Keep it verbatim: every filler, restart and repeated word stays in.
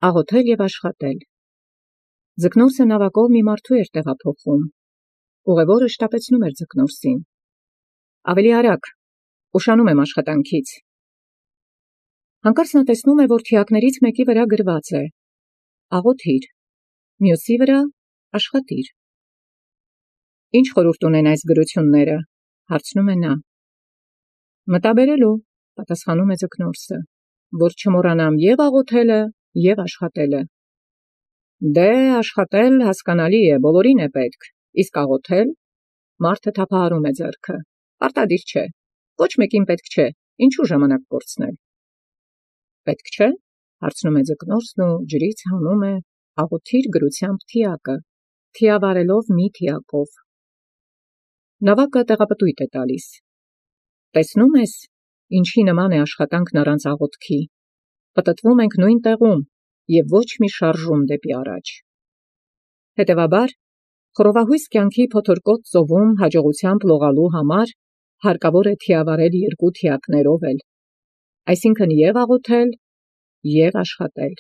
Աղոթել և աշխատել։ Ձկնորսը նավակով մի մարդու էր տեղափոխում։ Ուղևորը շտապեցնում էր ձկնորսին. ավելի արագ, ուշանում եմ աշխատանքից։ Հանկարծ նա տեսնում է, որ թիակներից մեկի վրա գրված է. աղոթիր, մյուսի վրա աշխատիր։ Ինչ խորհուրդ ունեն այս գրությունները, հարցնում է նա։ Մտաբերելու, պատասխանում է ձկնորսը, որ չմոռանամ և աղոթելը, և աշխատելը։ Դե, աշխատել հասկանալի է, բոլորին է պետք, իսկ աղոթել, մարդը թափահարում է ձեռքը, պարտադիր չէ, ոչ մեկին պետք չէ, ինչու ժամանակ կորցնել։ Պետք չէ, հարցնում է ձկնորսն ու ջրից հանում է աղոթիր գրությամբ թիակը, թիավարելով մի թիակով։ Նավակը տեղապտույտ է տալիս։ Տեսնում ես, ինչի նման է աշխատանքն առանց աղոթքի։ Պտտվում ենք նույն տեղում և ոչ մի շարժում դեպի առաջ։ Հետևաբար, խռովահույս կյանքի փոթորկոտ ծովում հաջողությամբ լողալու համար հարկավոր է թիավարել երկու թիակներով էլ, այսինքն և աղոթել, և աշխատել։